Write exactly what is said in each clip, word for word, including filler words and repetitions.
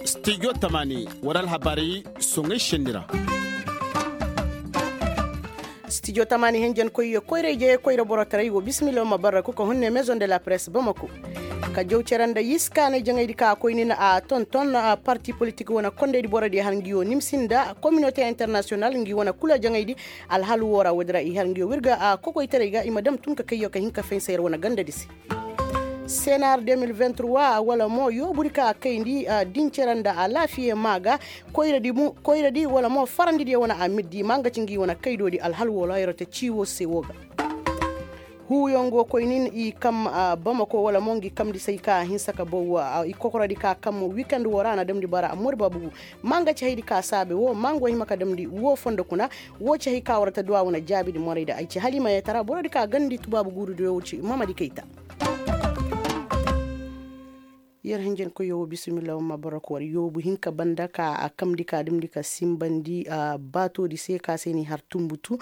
Studio tamaani war alhabaari soŋay senni ra. Studio tamaani hinjankoy koyra ije koyra borotaray wo bismillah ma barra kuka hunne maison de la presse bamako. Ka jaw cere nda yiskaanay jaŋaydi ka koy nin a tonton parti politik wane kondaydi borodiyo har ngi wo nimsi nda communauté international ngi wane kula jaŋaydi. Alhal wo ra woodi ra i har ngi wo wirga a kokoytaray ga i ma dam tun ka kayyo ka hin ka fensa yer wane gandadi se. Senar deux mille vingt trois wala mo yoobudi ka kayndi dincere nda alaafiye maa ga. Koyradi wala mo farandidiyo wane amirdi maa nga ci ngi wane kaydoodi alhal wo ra yer te ciiwo se wo ga. Huuyaŋ go koy nin i kam bamako wala mo ngi kamndi say ka hinsa ka baw i kokorodi ka kam wikend wo ra na damndi bara mori babugu. Maa nga ci haydi ka saabe wo maa nga wo hima ka damndi wo fondo kuna. Wo ci hay ka war ta duwa wane jaabidi morayda ay ci halimayetara borodi ka gandi tubaabu guurudiyo wo ci mamadi kayta. Yer hinjankoyyo wo bismillah wamma barako war yoobu hinka banda ka a kamndi ka dumndi ka simbandi baatoodi se ka se ni har tumbutu.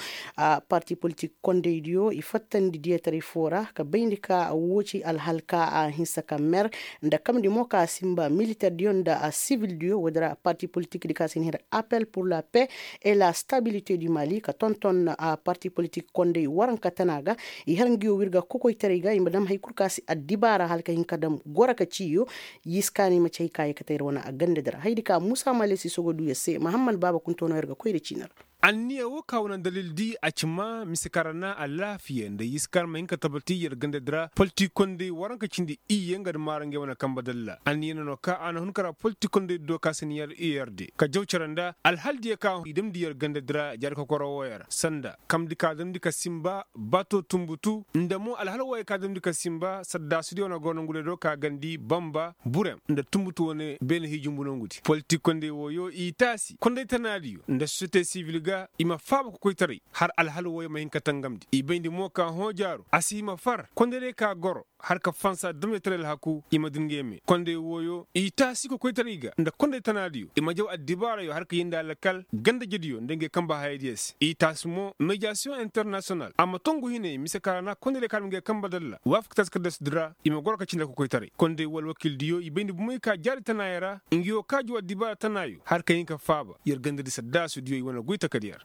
Parti politik kondaydiyo i fattandi diyataray foo ra ka bayndi ka woo ci alhal ka a hinsa ka mer nda kamndi mo ka simba militerdiyo nda sivildiyo woodi ra parti politikdi ka se ni har appel pur la paix et la stabilité du mali ka tonton parti politik konday waranka tana ga. I har ngi wo wirga kokoytaray ga i ma dam hay kul ka si addibaara hala ka hin ka dam goro ka ciiyo. Yiskaanay ma ci hay ka ye kate yer wane a gandadi ra haydi ka muusa male si sogo duu yer se mahamman baaba kunto no yer ga koy nda ciini ra. Anniya wo ka wane dalildi a ci maa mise kaŋ ra na alaafiya nda yiskaanay ma hin ka tabati yer gandadi ra politik konday waranka cindi iyye nga nda maara ngey wane kambe dalla anniya no no ka a na hun ka ra politik konday do ka si ni yer iyerde ka jaw cere nda alhaldiyo ka i damndi yer gandadi ra jaari kokoro wooyo ra sanda kamndi ka damndi ka simba baato tumbutu nda mo alhal wooyo ka damndi ka simba saddaasudiyo na go nongudi do ka gandi bamba burem nda tumbutu wane beene hiijumbu nongudi politik konday wooyo i taasi konday tanaadiyo nda sosiyete sibil ga i ma faaba kokoytaray har alhal wooyo ma hin ka tangamndi i bayndi mo ka hõ jaaru a si hima far konday day ka goro har ka fansa damyataray alhaku i ma dungeme konday wooyo i taasi kokoytaray ga nda konday tanaadiyo i ma jaw addibaarayo har ka yindi alkal gandajediyo nda ngey kamba hayadiyo se i taasi mo mediyasiyoŋ internasiyonal a ma tongu hinay mise kaŋ ra na konday day kaŋ ra ma ngey kamba dalla waafaka taasi kaddasudi ra i ma goro ka cindi kokoytaray konday woo alwakildiyo i bayndi bomey ka jaari tanaayo ra ngi woo ka jaw addibaara tanaayo har ka hin ka faaba yer gandadi saddaasudiyo i wane goy takadi yer.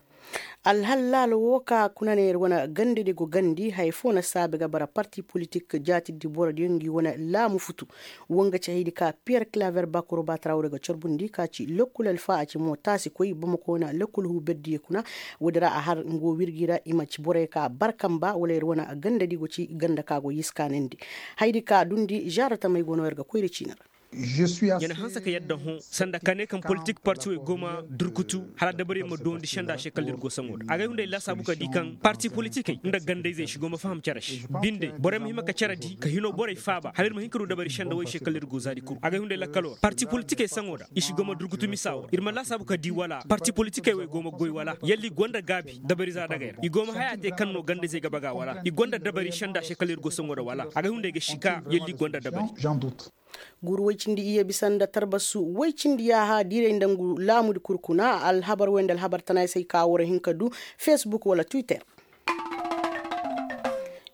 Alhal laala woo ka kuna ne yer wane gandadi go gandi haya foo na saabe ga bara parti politik jaatidi borodiyo ngi wane laamu futu. Woo nga ci hayadi ka piyer kilaver bakuro baatarawre ga corbundi ka ci lokkul alfa a ci mo taasi koy bamako wane lokkul huu berdiyo kuna. Woodi ra a har nga woo wirgi ra i ma ci borey ka bar kamba wala yer wane gandadi go ci ganda ka go yiskaanandi. Hayadi ka dundi zaara tamey go no yer ga koy nda ciini ra. Ya na hanse ka yadda hõ sanda ka ne kaŋ politik parti wey go ma durkutu hala dabariyaŋ ma doondi senda se kala iri go saŋo da agay hunday laasaabu ka di kaŋ parti politikey nda gandayzey si go ma faham cere se. Binde borey ma hima ka cere di ka hino borey faaba hala iri ma hin ka du dabari senda wey se kala iri go zaadi kuru agay hunday lakkaloo ra parti politikey saŋo da i si go ma durkutu misa wo ra iri ma laasaabu ka di wala parti politikey wey go ma goy wala yalla i go nda gaabi dabari za dagey ra i go ma haya te kaŋ no gandayzey ga baga wala i go nda dabari senda se kala iri go saŋo da wala agay hunday ga si ka yalla i go nda dabari. Guuru woy cindi iyye bisa nda tarbasu woy cindi yaaha diiray nda ngu laamudi kul kuna alhabar wey nda alhabar tanaay se ay ka war hin ka du facebook wala twitter.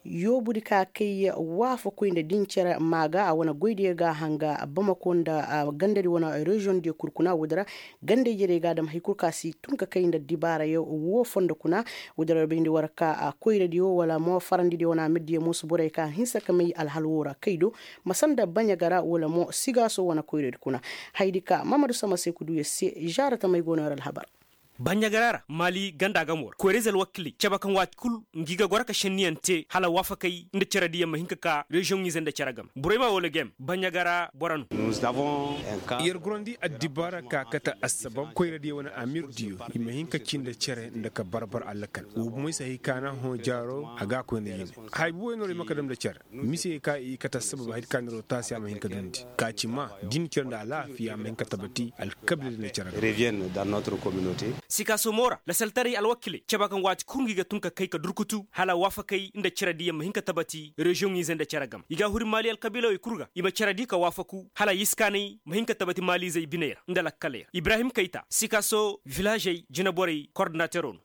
Yoobudi ka kay waafakoy nda din cere maa ga a wane goydiyo ga a hanga bamako nda gandadi wane reziyoŋdiyo kul kuna woodi ra. Gandey jerey ga a dam hay kul ka si tun ka kay nda dibaarayo woo fondo kuna. Woodi ra bayndi war ka koyradiyo wala mo farandidiyo wane amirdiyo mo si borey ka hinsa ka may alhal woo ra kay do. Ma sanda baɲa ga ra wala mo sigaaso wane koyradi kuna. Hayadi ka mamadu sama se ka du yer se. Zaara tamey go no yer alhabar. Baɲa ga ra ra maali ganda gamo ra koyrayze alwakiley cabe kaŋ waati kul ngi ga goro ka šenniyaŋ te hala waafakey nda cere diyaŋ ma hin ka ka reziyoŋize nda cere game borey ma wala game baɲa ga ra boro no. Yer gorandi addibaara ka kate assabab koyradiyo wane amirdiyo i ma hin ka ci nda cere nda ka barbar alakal woo bomey se hay ka na hõ jaaro a ga a koy nda yine. Haya buwey no ra i ma ka dam nda cere mise ka i kate assabab hay ka niroo taasi a ma hin ka dundi ka ci ma din cere nda alaafiya a ma hin ka tabati alkabiila din nda cere game. Sikaaso mo ra lasaltaray alwakiley caba kaŋ waati kul ngi ga tun ka kay ka durkutu hala waafakey nda cere diyaŋ ma hin ka tabati reziyoŋ ize nda cere game i ga a huri maali alkabiilawey kul ga i ma cere di ka waafaku hala yiskaanay ma hin ka tabati maaliizey biney ra nda lakkaley ra ibrahim kayta sikaaso vilaazey jineborey kordinateroo no.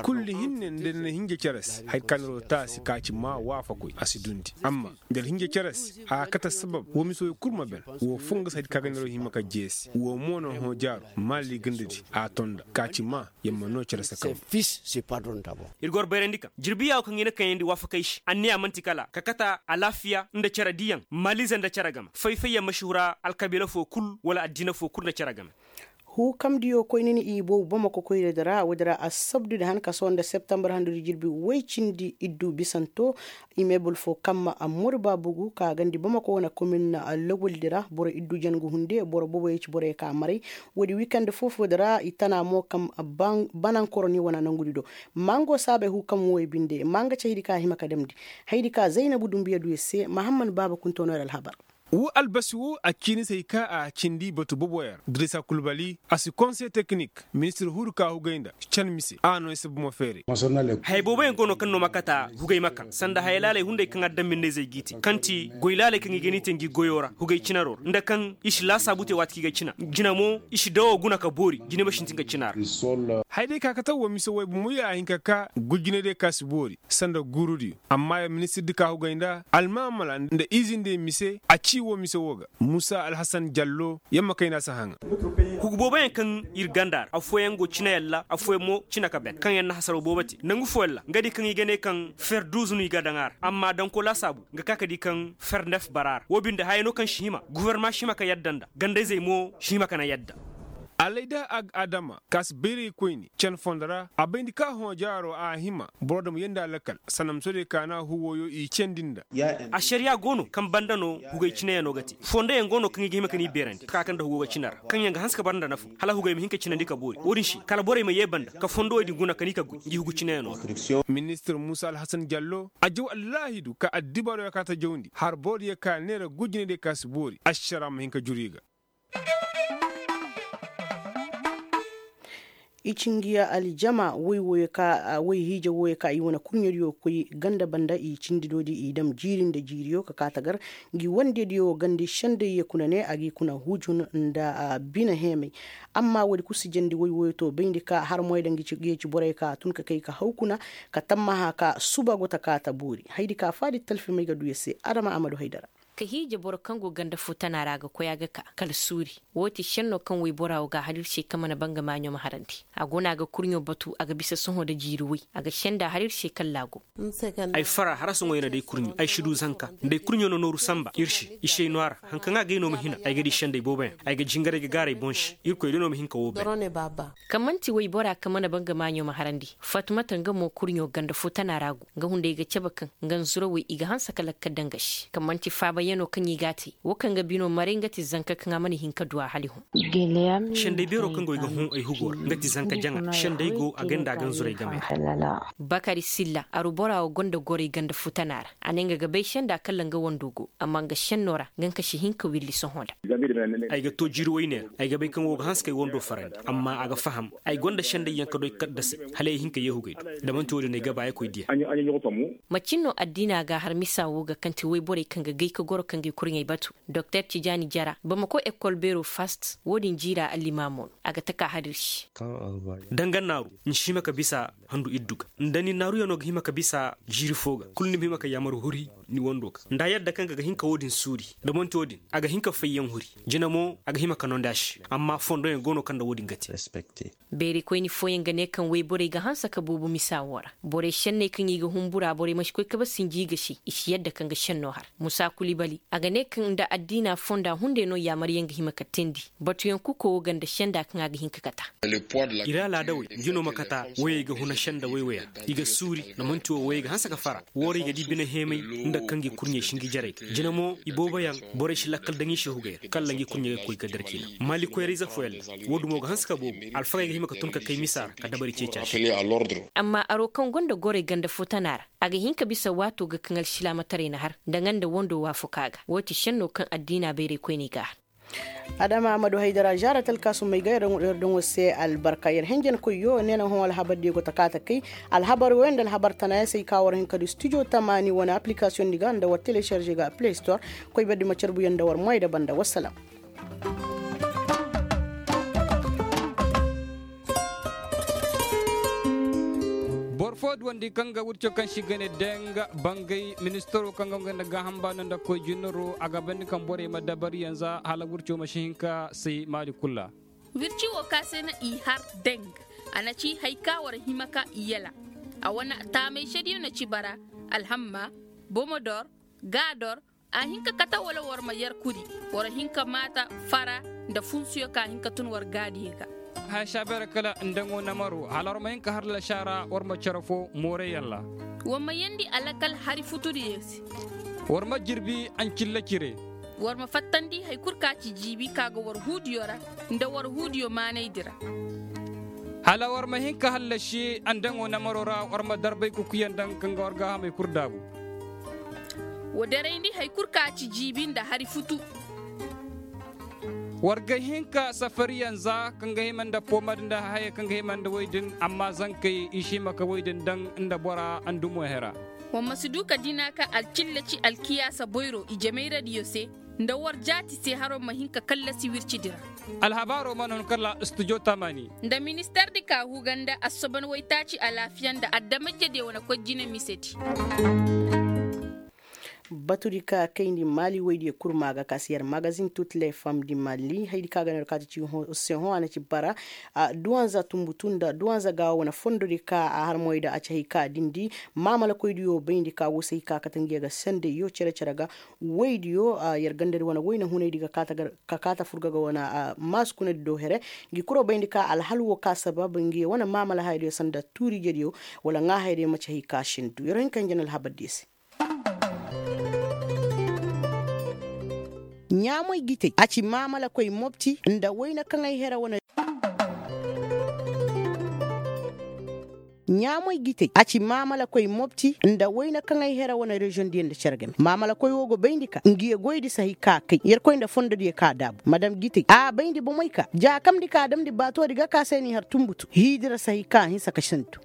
Kulli hinne nda ni na hinja cere se haya ka niroo taasi ka ci maa waafakoy a si dundi amma nda ni hinja cere se a ga kate sabab woo mise wey kul ma ben. Woo foo nga se haya di ka ga niroo hima ka jeesi woo mo na hõ jaaro maali gandadi a tonda ka ci maa yer ma noo cere se kaŋ. Ir go war bayrandi kaŋ jirbi yaawo kaŋ i na kayandi waafakey se anniya man'ti kala ka kate alaafiya nda cere diyaŋ maaliize nda cere game fay-fayyaŋ ma si hura alkabiila foo kul wala addiina foo kul nda cere game. Huukamdiyo koyni ni i boobo bamako koyradi ra woodi ra assabdudi han ka sohõ nda septembar handudi jirbi woy cindi iddu bisanto. Imebul foo kamma ammuri baabugu ka gandi bamako wane komin logoldi ra boro iddu jangu hunde boro booboyo ci boroyo ka maray. Woodi wikand foo-foodi ra i tana mo kam banankoro ni wane nangudi do. Mango saabay huukam woy binde manga ci haydi ka hima ka damndi. Haydi ka zaynabu dumbuya du yer se mahamman baaba kunto no yer alhabar. Woo albasi woo a ciini se hay ka a cindi batu boboyaŋ dirisa kulbali a si konse teknik ministir huru ka hugay nda can mise a no ay si bomo feeray. Hayey booboyaŋ go no kaŋ no ma kata hugay ma kaŋ sanda haya laaley hunday kaŋ a daŋ minnayzey g'i te kaŋ ti goy laaley kaŋ i ga ni te ngi goyo ra hugay cinaro ra nda kaŋ i si laasaabu te waati kaŋ i ga cina jina mo i si dawo guna ka boori jina ma sintin ga cina ra. Haya day ka kate woo mise woy bomo ya a hin ka ka gujinay day ka si boori sanda guurudiyo. Amma ya ministir di ka hugay nda almaamala nda izin day mise a ci woo mise woo ga muusa alhasan jallo yer ma kay nda a si haŋa. Hugu booboyaŋ kaŋ ir ganda ra affooyaŋ go cina yalla affooyaŋ mo cina ka ben kaŋ yer na hasaraw boobo te nangu fooyaŋ ra nga di kaŋ i ga ne kaŋ fer duuzu no i ga daŋ a ra amma danko laasaabu nga ka ka di kaŋ fer nef bara a ra woo binde haya no kaŋ si hima gofornama si hima ka yadda nda ganda-izey mo si hima ka na yadda. Alayda ag adama ka si bayray koyne cen fondo ra a bayndi ka hõ jaaro a hima boro dam yeendi a lakkal sanda musoodiyo ka na huwoyo i ceendi nda. Ašariya go no kaŋ banda no hugay cineyaŋo ga te fondoyaŋ go no kaŋ i ga hima ka ni beerandi ka ka nda hugo ga cina ra kaŋ yaŋ ga hanse ka bara nda nafa hala hugay ma hin ka cinandi ka boori wo-din se kala borey ma yee banda ka fondoyaŋ din guna ka ni ka goy ngi hugu cineyaŋo ga. Ministir muusa alhasan jallo a jaw allaahidu ka addibaaroyaŋ ka ta jawndi har borodiyaŋ ka neera gujinaydiyaŋ ka si boori ašara ma hin ka juru i ga. I ci ngi ya aljama woy wooyo ka woy hiija wooyo ka i wane kurɲodiyo koy ganda banda i cindi doodi i dam jiiri nda jiiriyo ka kaa tagar. Ngi wandediyo gandi senday ye kuna ne a g'i kuna hujun nda bine heemay. Amma woodi kul si jandi woy wooyo to bayndi ka har moy da ngi ci borey ka tun ka kay ka haw kuna ka tammaha ka suba go ta kaa ta boori haydi ka faadi talfimey ga du ya se adama amadu haydara. Ka hiije boro kaŋ go ganda foo tana ra a ga koy a ga ka kala suuri. Woo ti šenno kaŋ woybora woo ga a har ir se kaŋ mana banga maaɲo ma harandi. A go no a ga kurɲo batu a ga bisa sohõ nda jiiri woy a ga senda har ir se kala laago. Ay fara hara sohõ ya na day kurɲo ay si du zanka nda ay kurɲo na nooru sanba ir se i si ay no a ra. Hari kaŋ a ga ay no ma hina ay ga di senday booboyaŋ ay ga jingar ay ga gaaray boŋ se irkoy day no ma hin ka woo bay. Kaŋ man'ti woybora kaŋ mana banga maaɲo ma harandi. Fatumata nga mo kurɲo ganda foo tana ra go. Nga hunday ga cabe kaŋ nga nzurawey i ga hanse ka lakkal daŋ ga se kaŋ man'ti faabayaŋo kaŋ i g'a te. Woo kaŋ ga bino maray nga ti zanka kaŋ a mana hin ka du a hala i hõ. Senday beero kaŋ go ay ga hõ ay hugo ra nga ti zanka jaŋa senday go a ganda a ga nzuray game ra. Bakari silla aru bora woo gonda goray ganda foo tana ra. A ne nga ga bay senda kala nga wando go amma nga senno ra nga nga si hin ka wirli sohõ nda. Ay ga too jiiri woyne ra ay ga bay kaŋ woo ga hanse ka ay wando farandi amma a ga faham. Ay gonda senday yaŋ ka doy kaddasay hala ay hin ka yeehugay do. Da man'ti woo din ay ga ba ay koy diya. Macin no addiina ga har misa woo ga kaŋ ti woyborey kaŋ ga gay ka goro kaŋ ga ay kurɲey batu. Doktor tijaani jara bamako ekol beero fast woo din jiira allimaamo no. A ga taka har ir se. Da nga naaru ni si hima ka bisa handu iddu ga. Nda ni naaruyaŋo ga hima ka bisa jiiri foo ga kul ni ma hima ka yaamar huri ni wando ga nda a yadda kaŋ ga ga hin ka woo din suuri. Da man'ti woo din a ga hin ka fayyaŋ huri. Jina mo a ga hima ka nondi a se. Amma fondoyaŋ go no kaŋ nda woo din ga te. Beerikoyni fooyaŋ ga ne kaŋ woyborey ga hanse ka boobo misa woo ra. Borey šenney kaŋ i ga humbura borey ma si koy kabe sinji i ga se i si yadda kaŋ ga šenno har. Musa kulibali a ga ne kaŋ nda addiina fonda hunday no yaamaryaŋ ga hima ka teendi. Batuyaŋ kuko woo ga nda senda kaŋ a ga hin ka kata. Ir alaadawey ngi no ma kata woyey ga huna senda woy-woya. I ga suuri na man'ti woo woyey ga hanse ka fara. Woo ra i ga di bine heemay nda kaŋ gi kurɲey si ngi jarey ga jina mo i booboyaŋ. Borey si lakkal daŋ i se hugay ra kala ngi kurɲey ga koy ga darkiina. Maali koyra-ize fooyaŋ ra woo dumo ga hanse ka boobo. Alfagey ga hima ka tun ka kay misa ra ka dabari ceeci a se. Amma aro kaŋ gonda gorey ganda foo tana ra a ga hin ka bisa waato ga kaŋ alsilaamataray na har nda nga nda wando waafakaa ga woo ti šenno kaŋ addiina bayraykoyney ga a har. Adama amadu haydara zaara talkaasumey ga yer daŋo se albarka yer henjenkoyyo ne na hõ alhabar diyo go ta kaa ta kay. Alhabar wo yaŋ nda alhabar tanayaŋ se ay ka war hin ka du studio tamaani wane aplikasiyoŋ di ga nda war telesarze ga play store. Koy berdi ma carbuyaŋ nda war moy da banda wassalam. Boro fo duwandi kaŋ ga wirco kaŋ se i ga ne deng bangay ministaro kaŋ ga nga nda gaaham baano nda koy jinaro a ga bandi kaŋ borey ma dabari yanza hala wirco ma si hin ka say maali kul ra. Wirci wo ka se na i har deng. A na ci hari ka war hima ka i yala. A wane taamay sediyo na ci bara, alhamma, bomodor, gaador. A hin ka kate wala war ma yer kuri, war hin ka maata fara nda funsuyo ka hin ka tun war gaadiyo ga. Haya saabeera kala ndaŋo namaro hala war ma hin ka har lasaara war ma cere fo mooreyaŋ ra. War ma yeendi alakal hari futudiyo se. War ma jirbi ancilla cire. War ma fattandi hari kul ka ci jiibi ka ga war huudiyo ra nda war huudiyo maanaydi ra. Hala war ma hin ka hallasi andaŋo namaro ra war ma darbay kukuyaŋ daŋ kaŋ ga war gaahamey kul daabu. Wa derayndi hari kul ka ci jiibi nda hari futu. War ga hin ka safariyaŋ za kaŋ ga hima nda poomad nda hayey kaŋ ga hima nda woy din amma zankey i si hima ka woy din daŋ nda bora andumo hera. War ma si du ka dina ka alcilla ci alkiyaasa boyro ijemayradiyo se nda war jaati se haro ma hin ka kallasi wircidi ra. Alhabaaro mana hun kala studio tamaani. Nda ministardi ka huga nda assoban waytaaci alaafiya nda adama-ijediyo wane koy jine misedi. Batudi ka kayndi maali woydiyo kurma ga ka si yer magazin tut le fam di maali haydi ka ga no yer kaati ci se hõ a na ci bara. Duwanza tumbutu nda duwanza gaawo wane fondodi ka a har moy da a ci hay ka dindi maamalakoydiyo bayndi ka wo se hay ka kate ngiyo ga sendayyo cere-cere ga. Woydiyo yer gandadi wane woyne hunaydi ga ka kaa ta furga ga wane maasukunadi do here. Ngi kuro bayndi ka alhal wo ka sabab ngi wane maamala hayadiyo sanda tuuri ijediyo wala ŋaa hayadiyo ma ci hay ka sindu yer hin ka hin jana alhabardiyo se. Ɲaamoy gitey a ci maamalakoy mopti nda wayna kaŋ ay hera wane. Ɲaamoy gitey a ci maamalakoy mopti nda wayna kaŋ ay hera wane reziyoŋ diyo nda cere game maamalakoy wo go bayndi ka ngiyo goydi si hay ka kay yerkoy nda fondodiyo ka daabu madam gitey a bayndi bomey ka jaakamdi ka damndi baatoodi ga ka se n'i har tumbutu hiidi ra si hay ka hinsa ka sindu.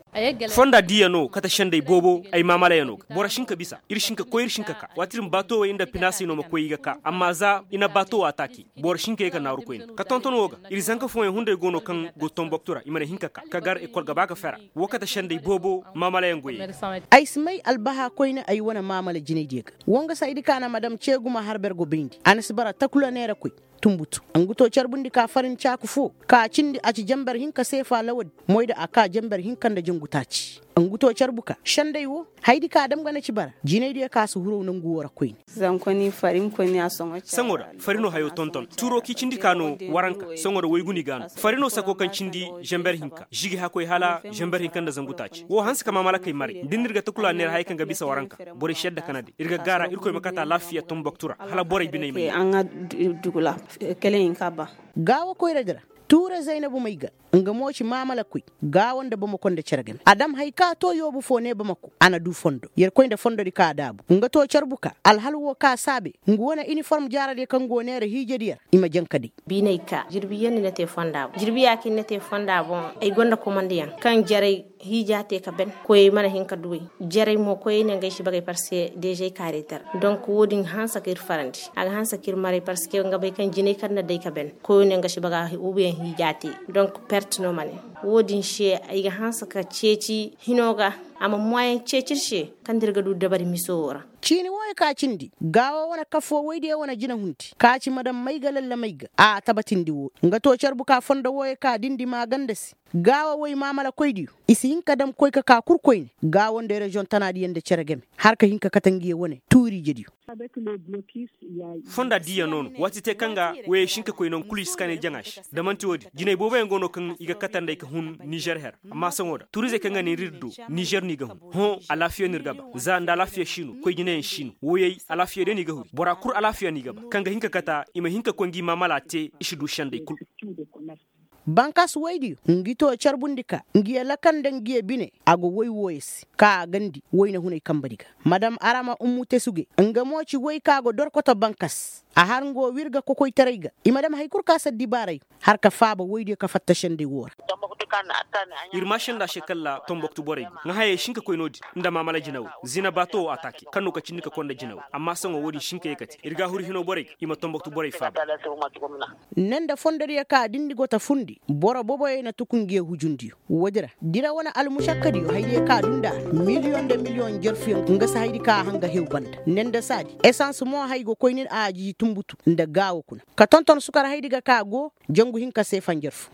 Fonda diiya no kate sendey boobo ay maamalayaŋo ga boro si hin ka bisa ir si hin ka koy ir si hin ka ka waati din baato wey nda pinaasey no ma koy i ga ka amma za i na baato wo ataake. Boro si hin ka ye ka naaru koyne ka tonton wo ga ir zanka fooyaŋ hunday go no kaŋ go tomboktu ra i mana hin ka ka ka gar ekol ga ba ga fera. Wo kate sendey boobo maamalayaŋ goyey. Ay si may albaha koyne ay wane maamala jinaydiyo ga. Wonga saydi ka na madam ceegu ma har ber go bayndi a na si bara takula neera koy. Tumbutu ngu to carbundi ka farin caaku fo ka cindi a ci jamber hinka seefa lawadi moy da a ka jamber hinka nda jangu taaci. Ngu to carbu ka sendey wo haydi ka dam ga na ci bara jinaydiyo ka si huru nangu wo ra koyne. Saŋo da farino hayo tonton tuuro k'i cindi ka no waranka saŋo da waygu ni ga no farino sako kaŋ cindi zamber hinka zigi hakoy hala zamber hinka nda zangu taaci wo hanse ka mamalakey maray da ni ir ga takula neera hayey kaŋ ga bisa waranka borey si yadda kanadi ir ga gaara irkoy ma kate alaafiya tomboktu ra hala borey biney ma yee. Gaawo koyradi ra tuure zaynabu may ga nga mo ci maamalakoy gaawo nda bamako nda cere game a dam hay ka to yoobu fo ne bamako a na du fondo yerkoy nda fondodi ka a daabu nga to carbu ka alhal wo ka saabe nga wane iniform jaaradiyo kaŋ go neera hiijadiyo ra i ma janka day. Biinay ka jirbi yaŋ ni na te fonda boŋ jirbi ya kaŋ ni na te fonda boŋ ay gonda komandiyaŋ kaŋ jaray hiija te ka ben koyey mana hin ka duwey jaray mo koyey ne ngey si bagay parceque dezey kaarey tara donk wo-din hanse ka ir farandi a ga hanse ka ir maray parceque nga bay kaŋ jinay kaŋ na day ka ben koyo ne nga si baga ubiyaŋ hiija te. Donk perte no ma ne wo-din se ay ga hanse ka ceeci hino ga a ma moyen ceeci ir se kaŋ da ir ga du dabari miso wo ra. Ciini wooyo ka cindi gaawo wane kafo woydiyo wane jinahundi ka ci madam may ga lalla may ga a tabatindi wo nga to carbu ka fondo wooyo ka dindi maaganda se. Gaawo woy maamalakoydiyo i si hin ka dam koy ka ka kul koyne gaawo nda reziyoŋ tanaadiyo nda cere game har ka hin ka kate ngiyo wane tuuri ijediyo. Fonda diiya no no waati te kaŋ ga woyey si hin ka koy nangu kulu i si kaanay jaŋa se da man'ti wo-din jinay booboyaŋ go no kaŋ i ga katandey ka hun nizer her amma sohõ da turizey kaŋ ga ne ir ir do nizer no i ga hun. Hõ alaafiya no ir ga ba za nda alaafiya si no koy jinayaŋ si no woyey alaafiya day no i ga huri bora kul alaafiya no i ga ba kaŋ ga hin ka kata i ma hin ka koy ngi maamala te i si du sendey kul. Bankas woydiyo ngi to carbundi ka ngiyo lakal nda ngiyo bine a go woy wooyo se ka a gandi woyne hunay kambadi ga madam arama ummu tesuge nga mo ci woy ka go dorkoto bankas. A har nga woo wirga kokoytaray ga i ma dam hari kul ka si addibaaray, har ka faaba woydiyo ka fatta sendey woo ra. Ir maasanda se kalla tomboktu borey ga ŋaa hayey si hin ka koy no-din nda maamala jinawey zina baato woo ataake kaŋ no ka cindi ka konda jinawey amma saŋo woo-din si hin ka ye ka te ir gaahuru hinoo borey ga i ma tomboktu borey faaba. Ne nda fondodiyo ka dindi go ta fundi boro boboyey na tuku ngiyo hujundiyo woodi ra dira wane almušakkadiyo haydiyo ka duu nda a ra miliyoŋ nda miliyoŋ njarfuyaŋ nga si haydi ka a hanga hew banda ne nda saadi esans mo hay go koy nin a jiji tumbutu nda gaawo kuna ka tonton sukar haydi ga ka go jangu hinka seefa njarfu.